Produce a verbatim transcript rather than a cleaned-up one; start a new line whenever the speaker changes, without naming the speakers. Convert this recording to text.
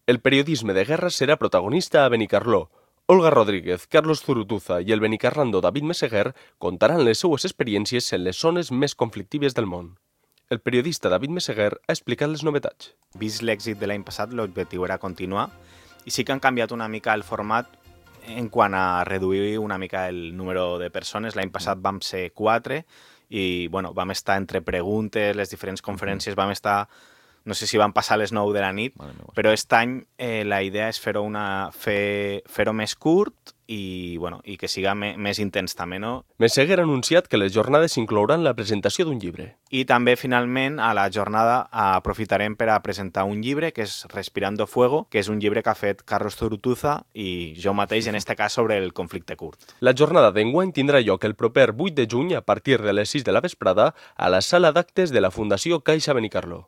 El periodisme de guerra serà protagonista a Benicarló. Olga Rodríguez, Carlos Zurutuza i el benicarlando David Meseguer contaran les seues experiències en les zones més conflictives del món. El periodista David Meseguer ha explicat les novetats.
Vist l'èxit de l'any passat, l'objectiu era continuar i sí que han canviat una mica el format en quant a reduir una mica el número de persones. L'any passat vam ser quatre i bueno, vam estar entre preguntes, les diferents conferències, vam estar, no sé si van passar les nou de la nit, però aquest any eh, la idea és fer-ho una, fer, fer-ho més curt i, bueno, i que siga me, més intens també, no?
Meseguer ha anunciat que les jornades inclouran la presentació d'un llibre.
I també, finalment, a la jornada aprofitarem per a presentar un llibre que és Respirando Fuego, que és un llibre que ha fet Carlos Zurutuza i jo mateix, en este cas, sobre el conflicte kurd.
La jornada d'enguany tindrà lloc el proper vuit de juny a partir de les sis de la vesprada a la sala d'actes de la Fundació Caixa Benicarló.